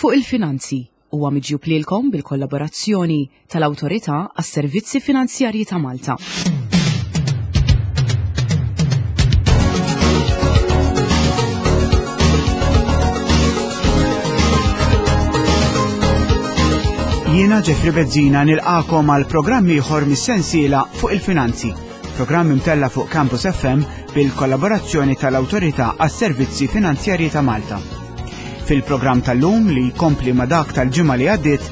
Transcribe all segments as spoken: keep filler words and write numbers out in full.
Fuq il-Finanzi huwa miġjub lilkom bil-kollaborazzjoni tal-Awtorità għas-Servizzi Finanzjarji ta' Malta. Jiena Jeffrey Bezzina nilqakom għal programm ieħor mis-sensiela Fuq il-Finanzi, programm imtella fuq Campus F M bil-kollaborazzjoni tal-Awtorità għas-Servizzi Finanzjarji ta' Malta. Fil-programm tal-lum, li jkompli ma' dak tal-ġimgħa li għaddiet,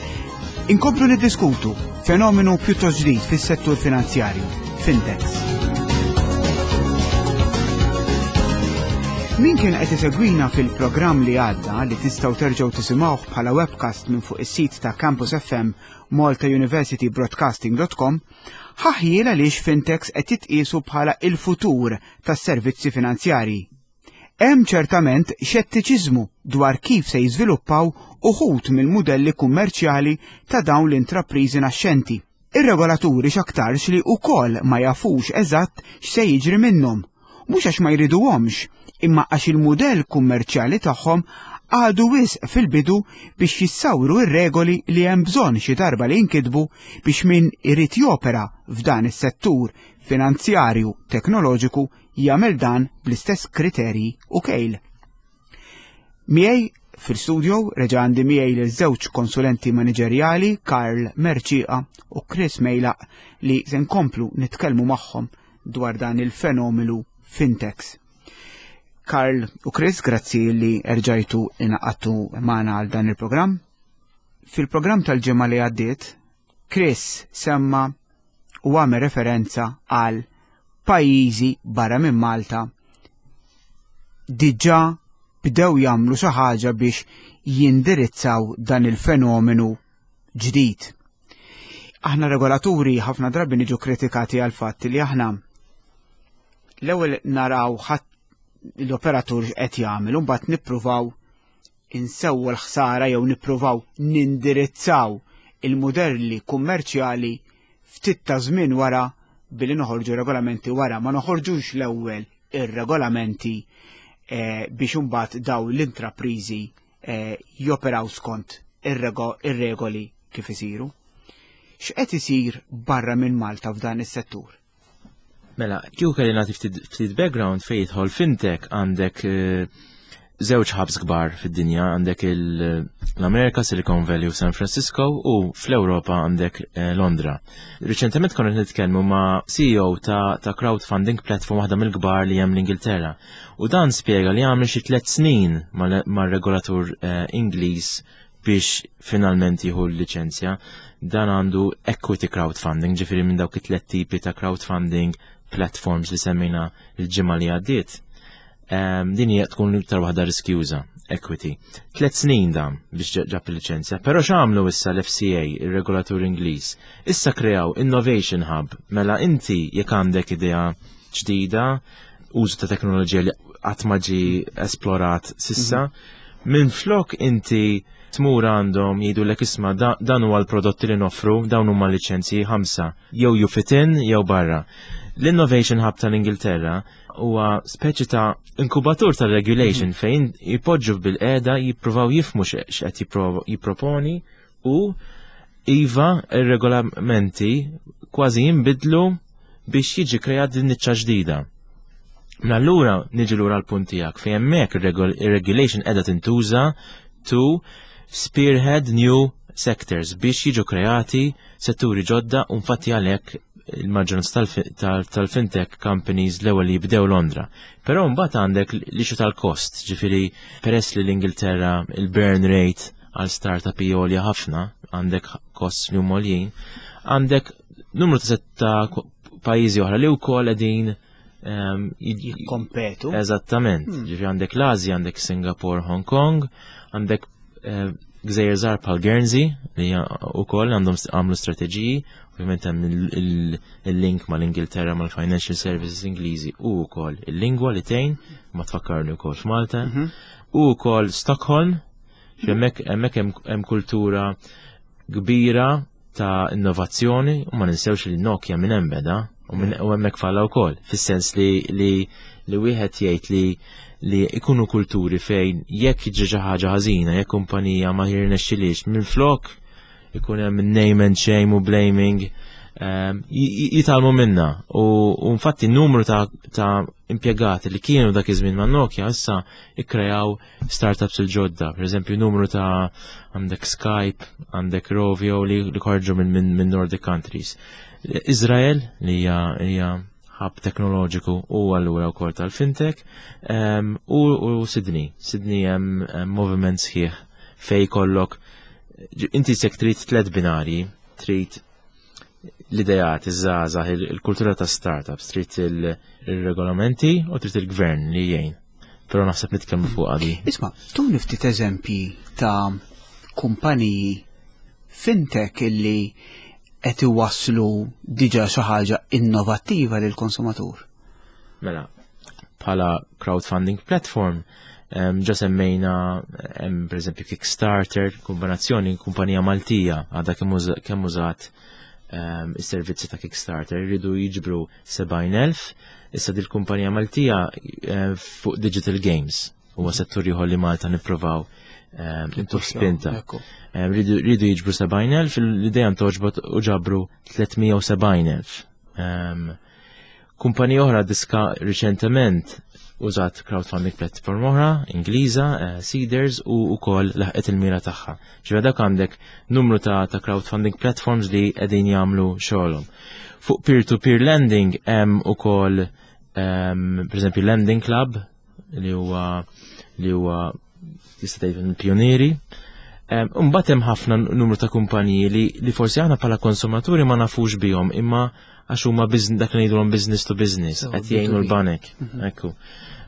inkomplu niddiskutu fenomenu pjuttost ġdid fis-settur finanzjarju, fintechs. Min kien qed isegwina fil-programm li għadda, li tistgħu terġgħu tisimgħuh bħala webcast minn fuq is-sit ta' Campus F M malta university broadcasting dot com, ħa ħjiel għaliex fintechs qed jitqiesu bħala il-futur tas-servizzi finanzjarji. Hemm ċertament xettiċiżmu dwar kif se jiżviluppaw uħud mill-mudelli kummerċjali ta' dawn l-intrapriżi naxxenti. Ir-regolaturi x'aktarx li wkoll ma jafux eżatt x'se jiġri minnhom, mhux għax ma jriduhomx, imma għax il-mudell kummerċjali tagħhom għadu wisq fil-bidu biex jissawru ir-regoli li hemm bżonn xi darba li jinkitbu biex min irid jopera f'dan is-settur finanzjarju teknoloġiku jagħmel dan bl-istess kriterji u kejl. Miegħi fil-studio reġa' għandi miegħi lil żewġ konsulenti maniġerjali, Karl Mercieca u Chris Mejlaq, li se nkomplu nitkellmu magħhom dwar dan il-fenomenu fintechs. Karl u Chris, grazzi li erġajtu ingħaqadtu magħna għal dan il-programm. Fil-programm tal-ġimgħa li għaddiet, Chris semma u għamel referenza għal pajjiżi barra minn Malta diġà bdew jagħmlu xi ħaġa biex jindirizzaw dan il-fenomenu ġdid. Aħna regolaturi ħafna drabi niġu kritikati għal fatt li aħna l-ewwel naraw ħadd l-operatur qed jagħmel u mbagħad nippruvaw insewwu l-ħsara jew nippruvaw nindirizzaw il-modelli kummerċjali ftit ta' żmien wara billi noħorġu regolamenti wara, ma noħorġux l-ewwel ir-regolamenti eh, biex imbagħad daw l-intrapriżi eh, joperaw skont ir-regoli kif isiru. X'qed isir barra minn Malta f'dan is-settur? Mela, kieku kelli nagħti ftit background fejn jidħol fintech, għandek eh, żewġ hubs kbar fid-dinja, għandek l-Amerika, Silicon Valley u San Francisco, u fl-Ewropa għandek eh, Londra. Riċentement konna nitkellmu ma' C E O ta', ta crowdfunding platform waħda mill-kbar li hemm l-Ingilterra. U dan spjega li għamel xi tliet snin mar-regolatur eh, Ingliż biex finalment jieħu l-liċenzja. Dan għandu equity crowdfunding, ġifieri minn dawk it-tliet tipi ta' crowdfunding platforms li semmejna l-ġimgħa li għaddiet. Din hija tkun iktar waħda riskjuża, equity. Tlet snin dam biex ġab il-liċenzja, però x'għamlu issa l-F C A, ir-regolatur Ingliż? Issa kreaw Innovation Hub, mela inti jekk għandek idea ġdida, użu ta' teknoloġija li qatt ma ġie esplorat s'issa, mhm. minn flok inti tmur għandhom jgħidulek, "Isma', dan huwa l-prodotti li noffru, dawn huma liċenzji ħamsa, jew you fit in jew barra." L-Innovation Hub tal-Ingilterra huwa speċi ta' inkubatur tal-regulation mhm. fejn jipoġġu bil-qeda jippruvaw jifhmu x'qed jipproponi u iva, ir-regolamenti kważi jinbidlu biex jiġi kreat din niċċa ġdida. Mela allura niġi lura l-punt tiegħek fejn hemmhekk ir-regulation qiegħda tintuża to spearhead new sectors biex jiġu kreati setturi ġodda, u infatti għalhekk il-maġġoranza tal-fintech companies l-ewwel li jibdew Londra. Però mbagħad għandek l-issue tal-kost, ġifieri peress li l-Ingilterra il-burn rate għal startup hija ħafna, għandek costs li huma għoljin, għandek numru ta' ta' pajjiżi oħra li wkoll qegħdin ehm, jikkompetu. Eżattament. Hmm. Ġifieri għandek l-Azja, għandek Singapore, Hong Kong, għandek eh, gżejjer żgħar bħal Guernsey li wkoll għandhom għamlu strateġiji, ovvjament hemm il-link mal-Ingilterra, mal-Financial Services Ingliżi u wkoll il-lingwa li tgħin, ma tfakkarni wkoll f'Malta, mhm. u wkoll Stockholm, hemmhekk hemmhekk hemm kultura kbira ta' innovazzjoni u ma ninsewx li Nokia minn hemm beda u hemmhekk falla wkoll, fis-sens li li li wieħed jgħid li li ikunu kulturi fejn jekk jiġri xi ħaġa ħażina, jekk kumpanija ma jirnexxilix, minflok ikun hemm name and shame u blaming, ehm, jitgħallmu minna. U infatti n-numru ta', ta impjegati li kienu dak iż-żmien ma' Nokia issa ikkrejaw startups il-ġodda. Per eżempju, numru ta' għandek Skype, għandek Rovio li, li ħarġu minn min, min Nordic countries. Izrael li hija hija hub teknoloġiku u allura wkoll tal-fintech um, u, u Sydney. Sydney hemm moviment sħiħ fej kollok inti sek trid tliet binari, trid l-idejat, iż-żgħażagħ, il-kultura ta' startups, trid il-regolamenti u trid il-gvern li jgħin. Però naħseb nitkellmu fuq għadi. Isma', tuni ftit eżempji ta' kumpaniji fintech illi qed iwasslu diġà xi ħaġa innovattiva lil konsumatur. Mela, bħala crowdfunding platform, ġa semmejna hemm pereżempju Kickstarter, kombinazzjoni kumpanija Maltija għadha kemm użat is-servizzi ta' Kickstarter, jridu jiġbru sebgħin elf, issa dil kumpanija Maltija fuq digital games huwa settur ieħor li Malta nippruvaw intu spinta. Ridu jiġbru sebgħin elf, l-idea ntgħoġbot u ġabru tliet mija u sebgħin elf. Kumpanija oħra diska riċentement użat crowdfunding platform oħra, Ingliża, uh, Seedrs, u wkoll laħqet il-mira tagħha. Ġifieri dak għandek numru ta', ta crowdfunding platforms li qegħdin jagħmlu xogħolhom. Fuq peer-to-peer lending hemm ukoll um, pereżempju Lending Club li huwa li huwa tista' tgħid pionieri. Mbagħad hemm ħafna numru ta' kumpaniji li, li forsi aħna bħala konsumaturi ma nafux bihom, imma għax huma dak li ngħidulhom business to business, qed jgħinu l-banek. Mhm. Ekku.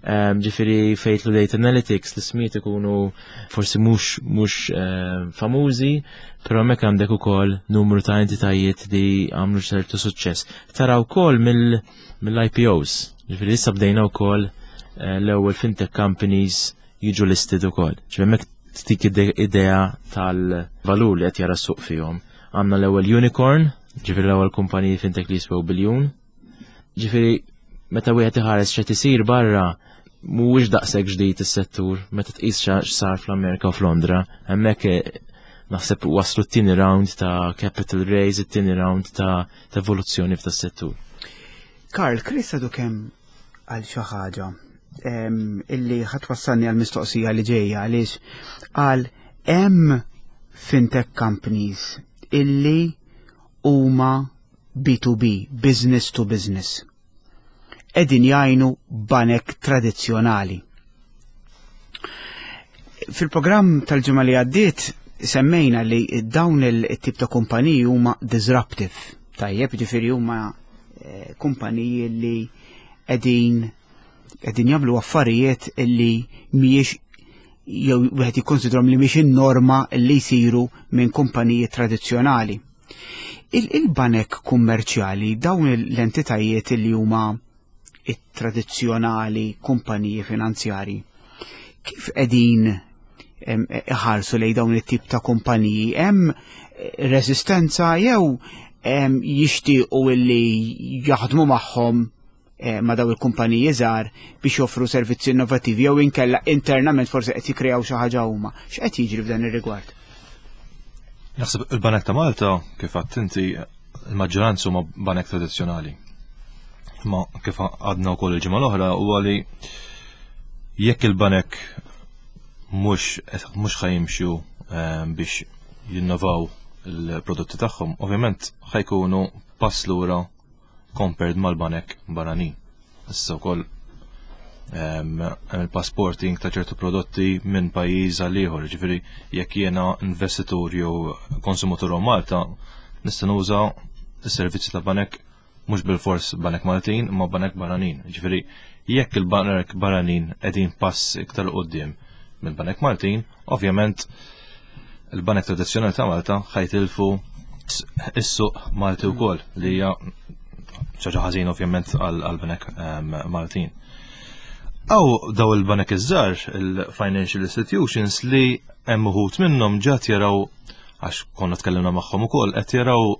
Ġifieri fejn jidħlu data analytics, l-ismijiet ikunu forsi mhux mhux famużi, però hemmhekk għandek ukoll numru ta' entitajiet li għamlu ċertu suċċess. Tara wkoll mill-I P Os, ġifieri issa bdejna wkoll eh, l-ewwel fintech companies jiġu listed ukoll. Ġifieri hemmhekk tik idea tal-valur li qed jara s-suq fihom. Għandna l-ewwel unicorn, ġifieri l-ewwel kumpaniji fintech li jiswew biljun. Ġifieri meta wieħed iħares x'qed isir barra, mhuwiex daqshekk ġdid is-settur meta tqis x'sar fl-Amerika u f'Londra, hemmhekk eh, naħseb waslu t-tieni round ta' capital raise, it-tieni round ta' evoluzzjoni f'ta' settur. Karl, Chris għadu kemm għal xi ħaġa illi ħa twassalni għal mistoqsija li ġejja, għaliex għal hemm fintech companies illi huma B two B, business to business. Qegħdin jgħinu banek tradizzjonali. Fil-programm tal-ġimgħa li għaddiet semmejna li dawn il-tip ta' kumpaniji huma disruptive. Tajjeb, ġifieri huma eh, kumpaniji li qegħdin qegħdin jagħmlu affarijiet illi mhijiex jew wieħed jikkonsidrom li mhix in-norma li jsiru minn kumpaniji tradizzjonali. Il-banek kummerċjali, dawn l-entitajiet li huma it-tradizzjonali kumpaniji finanzjari, kif qegħdin iħarsu lej dawn it-tip ta' kumpaniji? Hemm resistenza jew jixtiequ illi jaħdmu magħhom eh, ma' daw il-kumpaniji żgħar biex joffru servizzi innovativi, jew inkella internament forsi qed jikkreaw xi ħaġa huma? X'qed jiġri f'dan ir-rigward? Naħseb il-Banek ta' Malta, kif għedt inti, il-maġġoranza huma banek tradizzjonali. Ma kif għedna wkoll il-ġimgħa l-oħra huwa li jekk il-banek mhux mhux ħa jimxu eh, biex jinnovaw il-prodotti tagħhom, ovvjament ħa jkunu pass lura compared mal-banek barranin. Issa wkoll hemm il-passporting ta' ċertu prodotti minn pajjiż għal ieħor, ġifieri jekk jiena investitur jew konsumatur Malta nista' nuża s-servizzi ta' banek, mhux bil-fors banek Maltin imma banek barranin. Ġifieri jekk il-banek barranin qegħdin pass iktar quddiem minn banek Maltin, ovvjament il-banek tradizzjonali ta' Malta ħa jitilfu is-suq Malti wkoll, li hija ħaġa ħażin ovvjament għal-banek Maltin. Aw daw il-banek iż-żgħar, il-financial institutions, li hemm uħud minnhom ġat jaraw, għax konna tkellimna magħhom ukoll, qed jaraw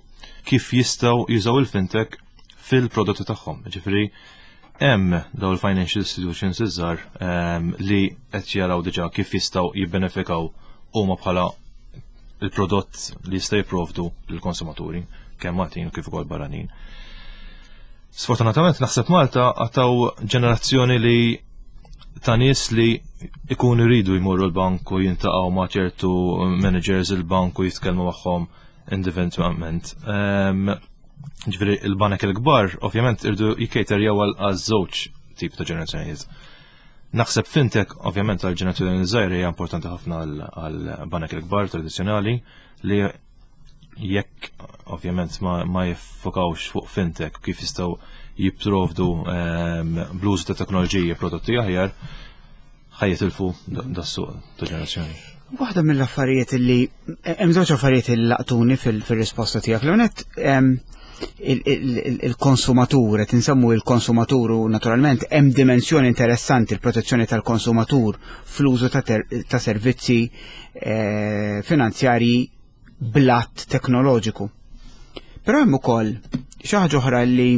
kif jistgħu jużaw il-fintech fil-prodotti tagħhom. Ġifieri Hemm daw il-financial institutions iż-żgħar ehm, li qed jaraw diġà kif jistgħu jibbenefikaw huma bħala il-prodott li jista' jipprovdu lill-konsumaturi, kemm Maltin u kif ukoll barranin. Sfortunatament, naħseb Malta għataw ġenerazzjoni li ta' nies li ikunu jridu jmorru l-bank u jiltaqgħu ma' ċertu managers il-bank u jitkellmu magħhom individwalment. Ehm, Ġifieri il-banek il-kbar ovvjament iridu jikkejterjaw għal żewġ tip ta' ġenerazzjonijiet. Naħseb fintech, ovvjament, għal ġenerazzjoni żgħira hija importanti ħafna għal banek il-kbar tradizzjonali li jekk ovvjament ma, ma jiffokawx fuq fintech, kif jistgħu jipprovdu um, bl-użu ta' teknoloġiji prodotti aħjar, ħa jitilfu das-suq ta' ġenerazzjoni. Waħda mill-affarijiet li hemm, żewġ affarijiet li laqtuni fil-risposta tiegħek. L-ewwel, il-konsumatur, qed insemmu il-konsumatur u naturalment hemm dimensjoni interessanti, il-protezzjoni tal-konsumatur fl-użu ta' servizzi eh, finanzjarji blat teknoloġiku. Però hemm ukoll xi ħaġa oħra li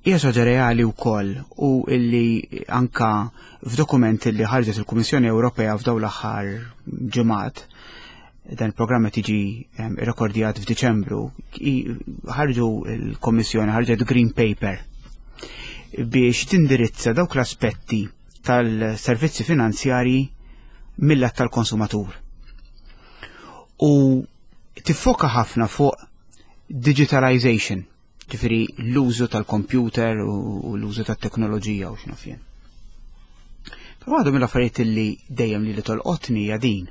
hija xi ħaġa reali wkoll u illi anka f'dokumenti li ħarġet il-Kummissjoni Ewropea f'dawn l-aħħar ġimgħat, dan il-programm qed jiġi irrekordjat f'Diċembru, ħarġu l-Kommissjoni ħarġet Green Paper biex tindirizza dawk l-aspetti tal-servizzi finanzjarji mill-lat tal-konsumatur. U tiffoka ħafna fuq digitalization, ġifieri l-użu tal-computer u l-użu tat-teknoloġija u x'naf jien. Però waħda mill-affarijiet li dejjem li li tolqotni hija din.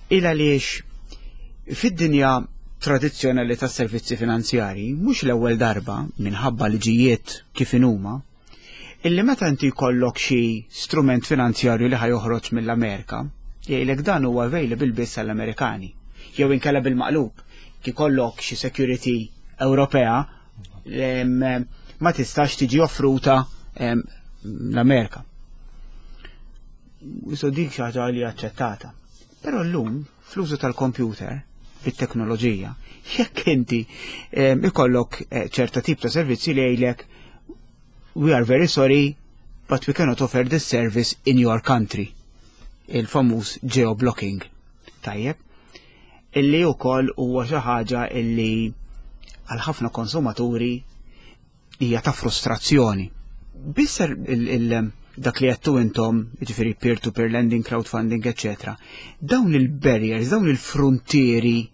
Il għaliex fid-dinja tradizzjonali tas-servizzi finanzjari mhux l-ewwel darba, minħabba liġijiet kif inhuma, illi meta inti jkollok xi strument finanzjarju li ħa joħroġ mill-Amerika, jgħidlek dan huwa available biss għall-Amerikani. Jew inkella bil-maqlub, ikollok xi security Ewropea ma tistax tiġi offruta l-Amerika. So dik xi ħaġa li aċċettata. Però llum fl-użu tal-computer, bit-teknoloġija, jekk inti ikollok eh, ċerta tip ta' servizzi li jgħidlek, "We are very sorry, but we cannot offer this service in your country." Il-famuż geoblocking. Tajjeb. Illi wkoll huwa xi ħaġa illi għal ħafna konsumaturi hija ta' frustrazzjoni. Bisser il dak li għedtu intom, ġifieri peer-to-peer lending, crowdfunding, eccetera. Dawn il-barriers, dawn il-frontieri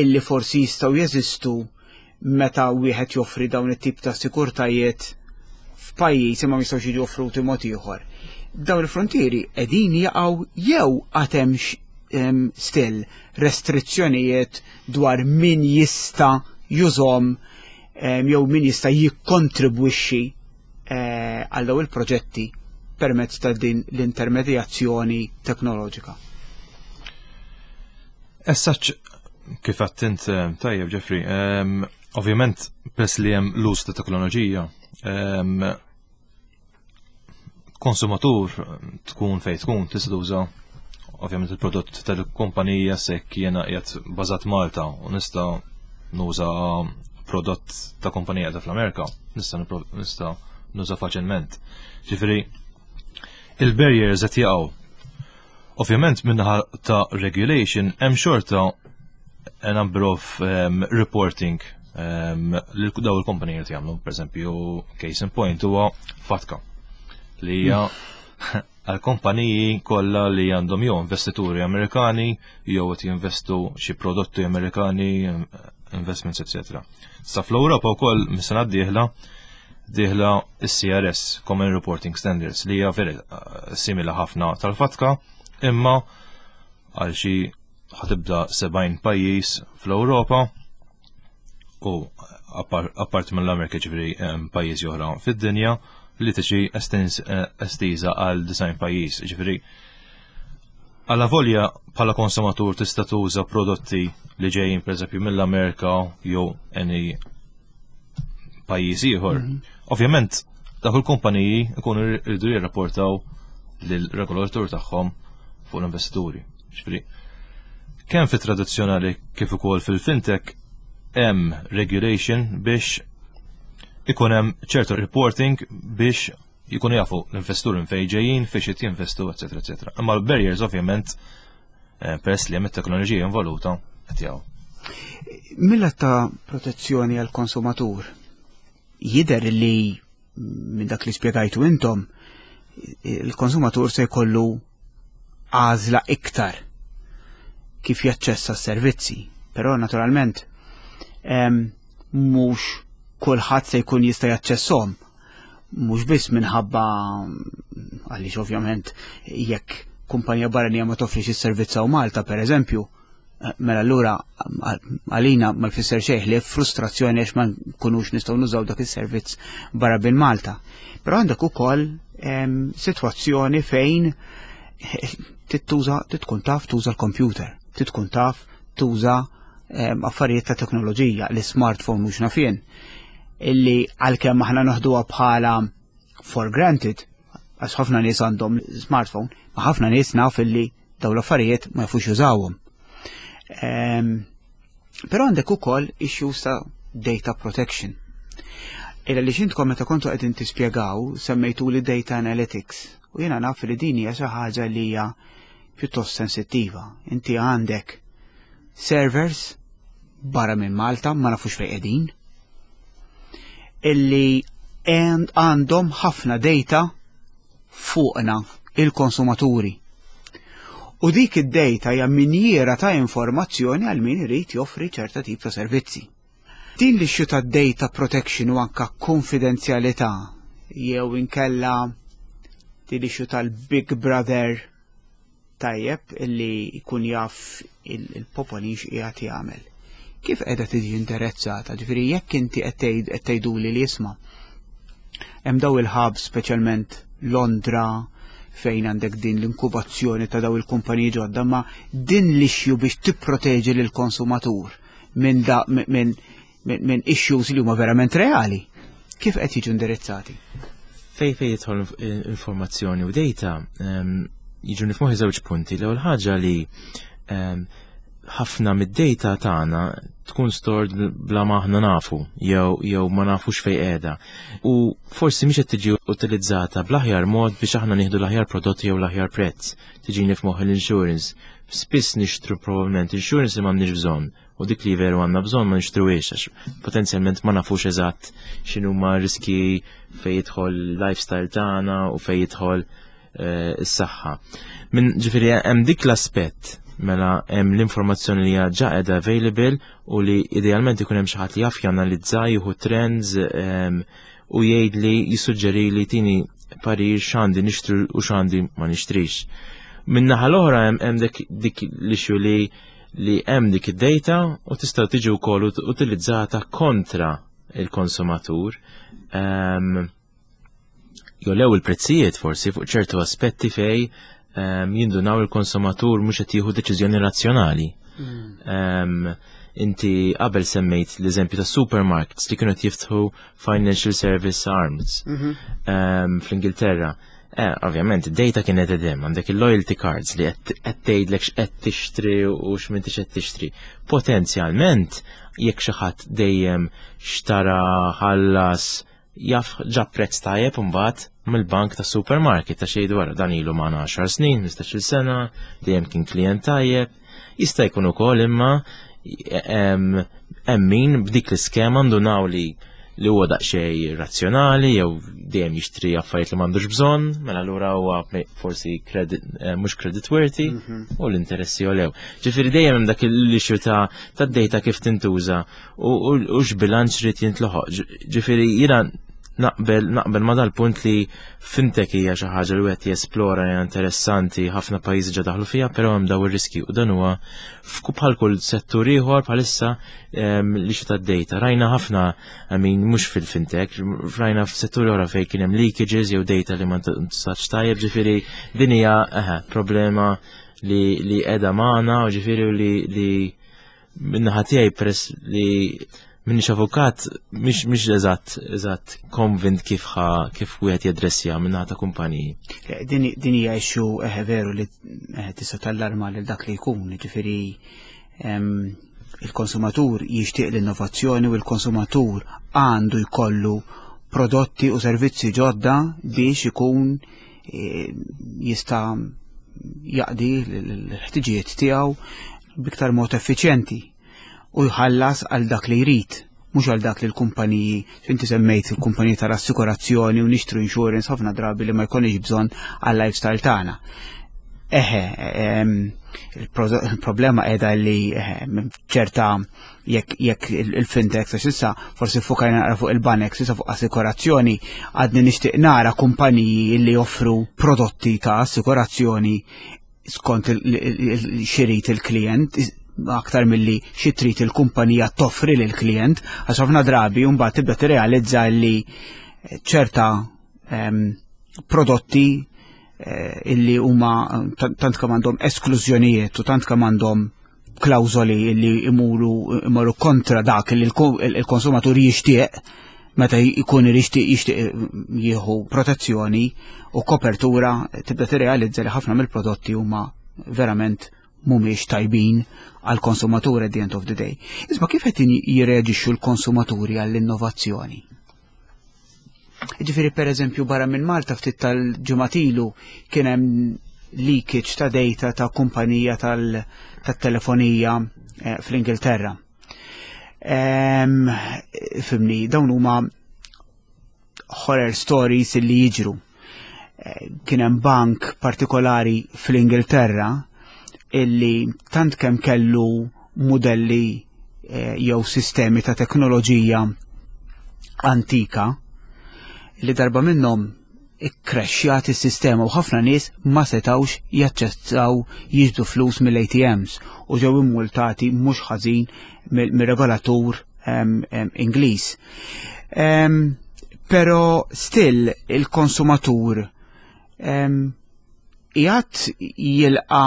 illi forsi jistgħu jeżistu meta wieħed joffri dawn it-tip ta' sikurtajiet f'pajjiż imma ma jistgħux jiġu offruti mod ieħor. Dawn il-frontieri qegħdin jaqgħu jew għad hemm still restrizzjonijiet dwar min jista' jużahom jew min jista' jikkontribwixxi eh, għal dawn il-proġetti permezz ta' din l-intermedjazzjoni teknoloġika? Essaċ, kif għedt eh, tajjeb, Jeffrey, ovvjament peress li hemm l-uż ta' teknoloġija, konsumatur tkun fej tkun tista' tuża ovvjament il-prodott tal-kumpanija. Sekk jiena qiegħed bażat Malta u nista' nuża prodott ta' kumpanija ta' fl-Amerika, nista' nista' nuża faċilment. Ġifieri il-barriers qed jaqgħu. Ovvjament minnaħa ta' regulation hemm xorta a number of um, reporting um, li daw il-kompaniji qed jagħmlu, pereżempju, case in point huwa FATCA li hija għal kompaniji kollha li għandhom jew investituri Amerikani jew qed jinvestu xi prodotti Amerikani, investments, eccetera. Sa fl-Ewropa wkoll mis-sena d-dieħla dieħla is-C R S, Common Reporting Standards, li hija veri eh, simili ħafna tal-FATCA, imma għal xi ħa tibda sebgħin pajjiż fl-Ewropa u apart mill-Amerika, ġifieri pajjiżi oħra fid-dinja, li tiġi eh, estiża għal disgħin pajjiż. Ġifieri għala volja bħala konsumatur tista' tuża prodotti li ġejjin pereżempju mill-Amerika jew any pajjiż ieħor. Mhm. Ovvjament dak il-kumpaniji ikunu jridu jirrapportaw lill-regolatur tagħhom fuq l-investituri. Ġifieri kemm fit-tradizzjonali kif ukoll fil-fintech hemm regulation biex Ikun hemm ċertu reporting biex jkunu jafu l-investituri minn fejn ġejjin, fiex qed jinvestu, eċetera, eċetera. Imma l-barriers ovvjament, eh, peress li hemm it-teknoloġija involuta, qed jgħu. Mil-lat ta' protezzjoni għal konsumatur, jider li minn dak li spjegajtu intom, il-konsumatur se jkollu għażla iktar kif jaċċessa s-servizzi. Però naturalment mhux kulħadd se jkun jista' jaċċesshom. Mhux biss minħabba għaliex ovvjament jekk kumpanija barranija ma toffrix is-servizz hawn Malta, per eżempju, mela allura għalina ma jfisser xejn li frustrazzjoni għax ma nkunux nistgħu nużaw dak is-servizz barra minn Malta. Però għandek ukoll sitwazzjoni fejn tittuża tkun taf tuża l-computer, tkun taf tuża affarijiet ta' teknoloġija, l-smartphone mhux naf jien, illi għalkemm aħna noħduha bħala for granted, għax ħafna nies għandhom smartphone, ma ħafna nies naf illi daw l-affarijiet ma jafux jużawhom. Però għandek ukoll issues ta' data protection. Illa li xintkom meta kontu qegħdin tispjegaw semmejtu li data analytics u jiena naf li din hija xi ħaġa li hija pjuttost sensittiva. Inti għandek servers barra minn Malta, ma nafux fejn qegħdin, illi għandhom ħafna data fuqna il-konsumaturi. U dik id-data hija minjiera ta' informazzjoni għal min irid joffri ċerta tip ta' servizzi. Din l-issue ta' data protection u anka konfidenzjalità jew inkella din l-issue tal-Big Brother, tajjeb, illi jkun jaf il-popolin x'qiegħed jagħmel. Kif qiegħda tiġi interessata? Ġifieri jekk inti qed tgħiduli li isma' hemm daw il-hub, speċjalment Londra, fejn għandek din l-inkubazzjoni ta' daw il-kumpaniji ġodda, ma din l-issue biex tipproteġi lill konsumatur minn da minn min issues li huma verament reali. Kif qed jiġu indirizzati? Fej fej jidħol informazzjoni u data, jiġu nifmuħi żewġ punti. L-ewwel ħaġa li ħafna mid-data tagħna tkun stored bla ma aħna nafu jew jew ma nafux fej qiegħda. U forsi mhix qed tiġi utilizzata bl-aħjar mod biex aħna nieħdu l-aħjar prodotti jew l-aħjar prezz. Tiġini f'moħħ l-insurance. Spiss nixtru probabbilment insurance li m'għandniex bżonn u dik li veru għandna bżonn ma nixtruhiex għax potenzjalment ma nafux eżatt x'inhuma riski fej jidħol lifestyle tagħna u fej jidħol eh, is-saħħa. Min ġifieri hemm dik l-aspett, mela hemm l-informazzjoni li hija ġa qiegħda available u li idealment ikun hemm xi ħadd li jaf janalizza, jieħu trends em, u jgħid li jissuġġeri li tini parir x'għandi nixtri u x'għandi ma nixtrix. Min-naħa l-oħra hemm hemm dik dik l-issue li li hemm dik id-data u tista' tiġi wkoll ut- utilizzata kontra il-konsumatur. Um, jolew il-prezzijiet forsi fuq ċertu aspetti fej um, jindunaw il-konsumatur mhux qed jieħu deċiżjoni razzjonali. Um, inti qabel semmejt l-eżempju ta' supermarkets li kienu qed jiftħu financial service arms um, fl-Ingilterra. Eh, ovvjament, id-data kienet edem, għandek il-loyalty cards li qed qed tgħidlek x'qed tixtri u x'm'intix qed tixtri. Potenzjalment, jekk xi ħadd dejjem xtara, ħallas, jaf ġab prezz tajjeb imbagħad mill-bank ta' supermarket ta' xejn dwar dan ilu magħna għaxar snin, ħmistax-il sena, dejjem kien klient tajjeb. Jista' jkun ukoll imma hemm hemm min b'dik l-iskema ndunaw li li huwa daqsxejn razzjonali jew dejjem jixtri affarijiet li m'għandux bżonn, mela allura huwa forsi credit eh, mhux credit worthy u l-interessi jolew. Ġifieri dejjem hemm dak l-issue ta' ta' data kif tintuża u u- u x'bilanċ rid jintlaħaq. Ġifieri jiena naqbel naqbel ma dal-punt li fintech hija xi ħaġa li wieħed jesplora, hija interessanti, ħafna pajjiżi ġa daħlu fiha, però hemm daw ir-riski u dan huwa f'ku bħal kull settur ieħor bħalissa em, li xi tad-data. Rajna ħafna, I mean, mhux fil-fintech, rajna f'setturi oħra fejn kien hemm leakages jew data li ma ntużatx tajjeb, ġifieri din hija eħe, problema li li qiegħda magħna u ġifieri li li min-naħa tiegħi, peress li minix avukat, mhix mhix eżatt eżatt convinced kif ħa kif wieħed jadressja minnaħa ta' kumpaniji. Eh, Din din hija issue eh, veru li eh, tista' tallarma lil dak li jkun, ġifieri em, Il-konsumatur jixtieq l-innovazzjoni u l-konsumatur għandu jkollu prodotti u servizzi ġodda biex ikun eh, jista' jaqdi l-ħtiġijiet tiegħu b'iktar mod effiċjenti u jħallas għal dak li jrid, mhux għal dak li l-kumpaniji, inti semmejt il-kumpaniji tal-assikurazzjoni u nixtru insurance ħafna drabi li ma jkunx bżonn għal lifestyle tagħna. Eħe, il-problema qiegħda li ċerta jekk jekk il-fintech, għax issa forsi fukajna naqra fuq il-banek, issa fuq assikurazzjoni għadni nixtieq nara kumpaniji li joffru prodotti ta' assikurazzjoni skont x'irid il-klient aktar milli xi trid il-kumpanija toffri lil klient, għax ħafna drabi mbagħad tibda tirrealizza li ċerta prodotti eh, illi huma tant kemm għandhom esklużjonijiet u tant kemm għandhom klawżoli illi imuru imorru kontra dak li il-konsumatur jixtieq meta jkun jixtieq jixtieq jieħu protezzjoni u kopertura, tibda tirrealizza li ħafna mill-prodotti huma verament mhumiex tajbin għal konsumatur at the end of the day. Isma', kif qed jirreaġixxu l-konsumaturi għall-innovazzjoni? Ġifieri, per eżempju, barra minn Malta ftit tal-ġimgħat ilu kien hemm leakage ta' data ta' kumpanija tal-telefonija eh, fl-Ingilterra. Fhimni, dawn huma horror stories li jiġru. Eh, kien hemm bank partikolari fl-Ingilterra illi tant kemm kellu modelli eh, jew sistemi ta' teknoloġija antika li darba minnhom ikkrexxjat is-sistema u ħafna nies ma setawx jaċċessaw jiġbdu flus mill-A T Ms u ġew immultati mhux ħażin mir-regolatur Ingliż. Però still il-konsumatur jgħat jilqa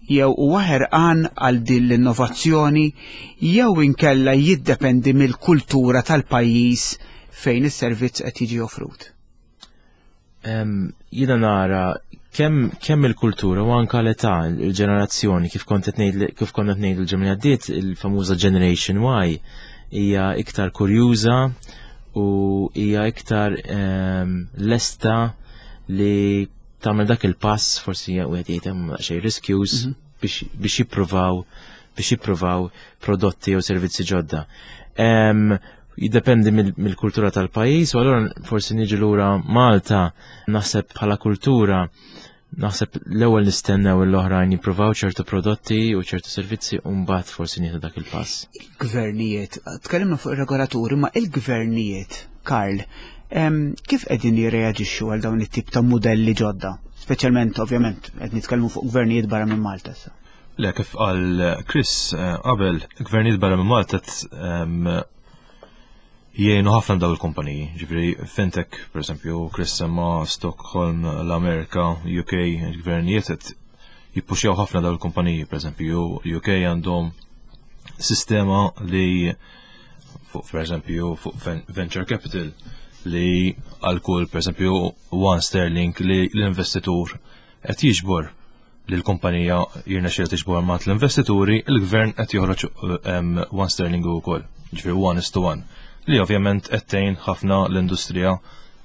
jew huwa ħerqan għal din l-innovazzjoni jew inkella jiddependi mill-kultura tal-pajjiż fejn is-servizz qed jiġi offrut? Jiena nara kemm kemm il-kultura u anka l-età, il-ġenerazzjoni, kif kont qed ngħid kif konna ngħidu l-ġimgħa għaddiet, il-famuża Generation Y hija iktar kurjuża u hija iktar lesta li tagħmel dak il-pass, forsi wieħed jgħid hemm xejn riskjuż, mhm. biex jippruvaw biex jippruvaw prodotti jew servizzi ġodda. Jiddependi mill-kultura tal-pajjiż u allura forsi niġi lura Malta, naħseb bħala kultura naħseb l-ewwel nistennew l-oħrajn jippruvaw ċertu prodotti u ċertu servizzi u mbagħad forsi nieħdu dak il-pass. Il-gvernijiet, tkellimna fuq ir-regolaturi, ma il-gvernijiet, Karl, kif qegħdin jirreaġixxu għal dawn it-tip ta' modelli ġodda? Speċjalment, ovvjament, qed nitkellmu fuq gvernijiet barra minn Malta issa. Le, kif qal Chris eh, qabel, gvernijiet barra minn Malta jgħinu ħafna daw il-kumpaniji. Ġifieri fintech, per esempio, Chris semma Stockholm, l-Amerika, U K, il-gvernijiet qed jippuxjaw ħafna daw il-kumpaniji, per esempio, U K għandhom sistema li fuq, per esempio, fuq venture capital li għal kull, per esempio, one sterling li l-investitur qed jiġbor, li l-kumpanija jirnexxielha tiġbor mat l-investituri, il-gvern qed joħroġ one sterling ukoll, ġifieri one is to one, li ovvjament qed tgħin ħafna l-industrija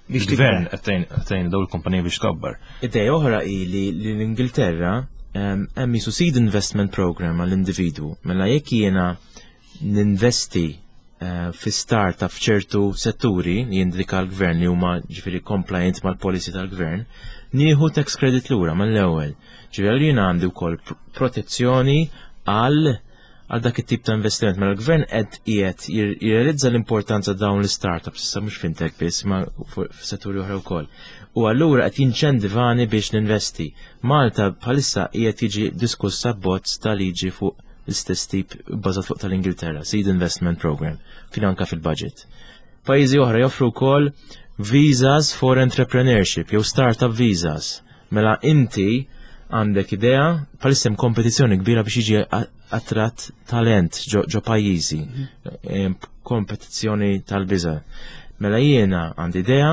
biex il-gvern qed tgħin dawn il-kumpaniji biex tkabbar. Idea oħra hi li l-Ingilterra hemm jisu seed investment program għall-individwu. Mela jekk jiena ninvesti eh, fi startup f'ċertu setturi li jindika l-gvern li huma ġifieri compliant mal-policy tal-gvern, nieħu tax credit lura mal-ewwel. Ġifieri jiena għandi wkoll protezzjoni għal għal dak it-tip ta' investiment. Mela l-gvern qed qiegħed jirrealizza l-importanza dawn l-startups, issa mhux fintech biss, ma f'setturi oħra wkoll. U allura qed jinċentivani biex ninvesti. Malta bħalissa qiegħed jiġi diskussa abbozz ta' liġi fuq l-istess tip bbażat fuq tal-Ingilterra, Seed Investment Program, kien anka fil-budget. Pajjiżi oħra joffru wkoll visas for entrepreneurship jew startup visas. Mela inti għandek idea, bħalissa hemm kompetizzjoni kbira biex jiġi attratt talent ġo pajjiżi, mhm. kompetizzjoni tal-biża. Mela jiena għandi idea,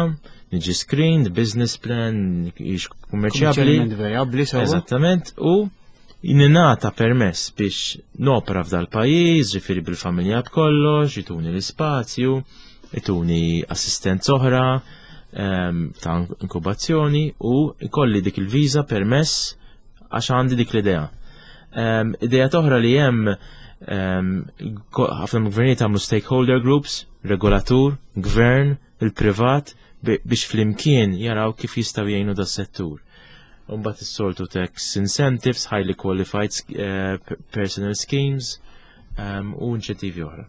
niġi screened, business plan, jiex kummerċjabbli. Vijabbli. Eżattament, u Ninata permess biex nopra f'dal pajjiż, ġifieri bil-familja b'kollox, jtuni l-ispazju, jtuni assistenza oħra ehm, ta' inkubazzjoni u ikolli dik il-viża permess għax għandi dik l-idea. Ehm, idea oħra li hemm ehm, ħafna gvernijiet għamlu stakeholder groups, regolatur, gvern, il-privat, biex flimkien jaraw kif jistgħu jgħinu das-settur. Mbagħad is-soltu tax incentives, highly qualified uh, personal schemes um, u inċentivi oħra.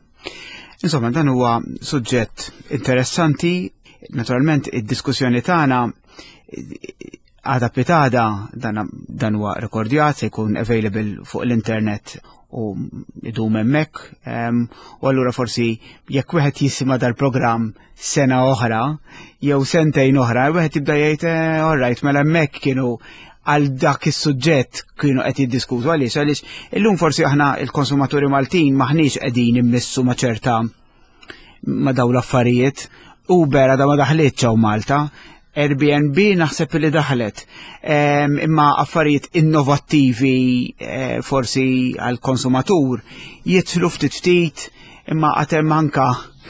Insomma, dan huwa suġġett interessanti. Naturalment, id-diskussjoni tagħna għada pitgħada dan, dan huwa rekordjat, se jkun available fuq l-internet u idum hemmhekk. Um, u allura forsi jekk wieħed jisma' dal-programm sena oħra jew sentejn oħra, wieħed jibda jgħid eh, all right, mela hemmhekk kienu għal dak is-suġġett kienu qed jiddiskutu. Għaliex għaliex illum forsi aħna il-konsumaturi Maltin maħniex qegħdin immissu ma' ċerta ma' dawn l-affarijiet. Uber għadha ma daħlitx hawn Malta, Airbnb naħseb li daħlet, imma affarijiet innovattivi eh, forsi għal konsumatur jidħlu ftit ftit, imma għad hemm anka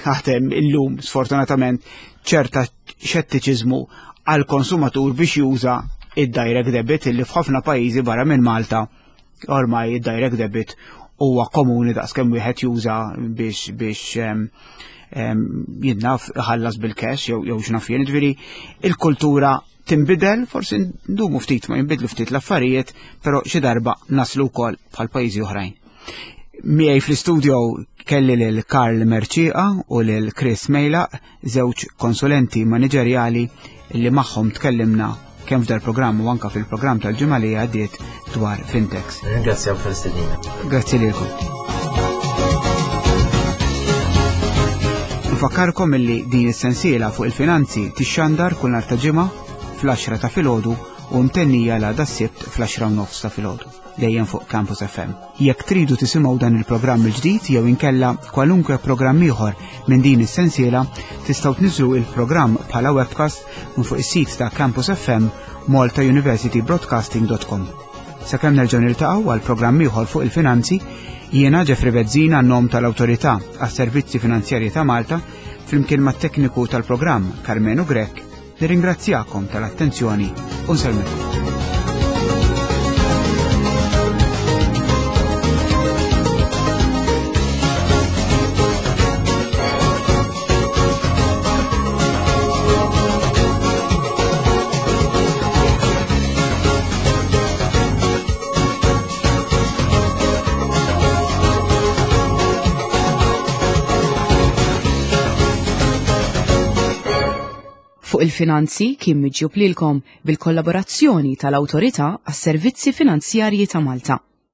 għad hemm illum sfortunatament ċerta xettiċiżmu għal konsumatur biex juża id-direct debit, illi f'ħafna pajjiżi barra minn Malta ormai id-direct debit huwa komuni daqskemm wieħed juża biex biex jinnaf ħallas bil-cash jew jew x'naf jien. Ġifieri il-kultura tinbidel, forsi ndumu ftit ma jinbidlu ftit l-affarijiet, però xi darba naslu wkoll bħal pajjiżi oħrajn. Miegħi fl-istudio kelli lil Karl Mercieca u lil Chris Mejlaq, żewġ konsulenti maniġerjali li magħhom tkellimna kemm f'dal programm u anka fil-programm tal-ġimgħa li għaddiet dwar fintechs. Ringrazzjaw tal-istedina. Grazzi lilkom. Nfakkarkom illi din is-sensiela fuq il-finanzi tixxandar kull nhar ta' Ġimgħa fl-għaxra ta' filgħodu u mtennija l-għada s-Sibt fl-għaxra u nofs ta' filgħodu, dejjem fuq Campus F M. Jekk tridu tisimgħu dan il-programm il-ġdid jew inkella kwalunkwe programm ieħor minn din is-sensiela, tistgħu tniżlu il-programm bħala webcast minn fuq is-sit ta' Campus F M, malta university broadcasting dot com. Sakemm nerġgħu niltaqgħu għal programm ieħor fuq il-finanzi, jiena Jeffrey Bezzina, nom tal-Awtorità għas-Servizzi Finanzjarji ta' Malta, flimkien mat-tekniku tal-programm Carmenu Grech, nirringrazzjakom tal-attenzjoni u nsellmilkom. Fuq il-finanzi kien miġjub lilkom bil-kollaborazzjoni tal-Awtorità għas-Servizzi Finanzjarji ta' Malta.